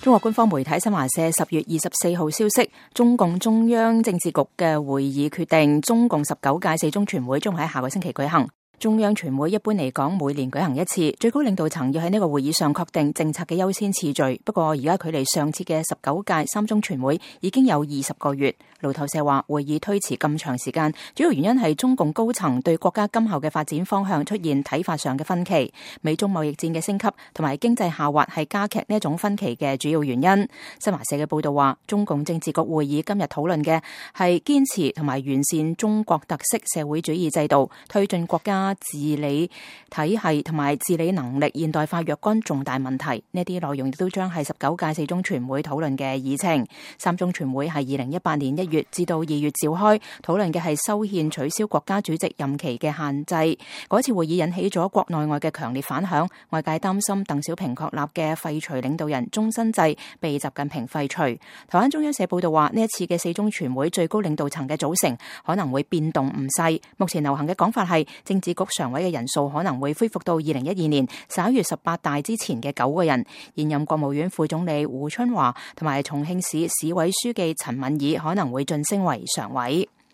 中國官方媒體新華社10月24號消息，中共中央政治局嘅會議決定，中共19屆四中全會將喺下個星期舉行。中央全會一般嚟講每年舉行一次，最高領導層要喺呢個會議上確定政策嘅優先次序。不過而家距離上次嘅19屆三中全會已經有20個月。路透社話會議推遲咁長時間，主要原因係中共高層對國家今後嘅發展方向出現睇法上嘅分歧。美中貿易戰嘅升級同埋經濟下滑係加劇呢一種分歧嘅主要原因。新華社嘅報道話，中共政治局會議今日討論嘅係堅持同埋完善中國特色社會主義制度，推進國家治理體系同埋治理能力現代化若干重大問題。呢啲內容亦都將係19屆四中全會討論嘅議程。三中全會係2018年1月至到2月召開，討論嘅係修憲取消國家主席任期嘅限制。嗰次會議引起咗國內外嘅強烈反響，外界擔心鄧小平確立嘅廢除領導人終身制被習近平廢除。台灣中央社報道話，呢一次嘅四中全會最高領導層嘅組成可能會變動唔細。目前流行嘅講法係，政治局常委嘅人數可能會恢復到2012年11月18大之前嘅9個人。現任國務院副總理胡春華同埋重慶市市委書記陳敏爾可能會晉升為常委。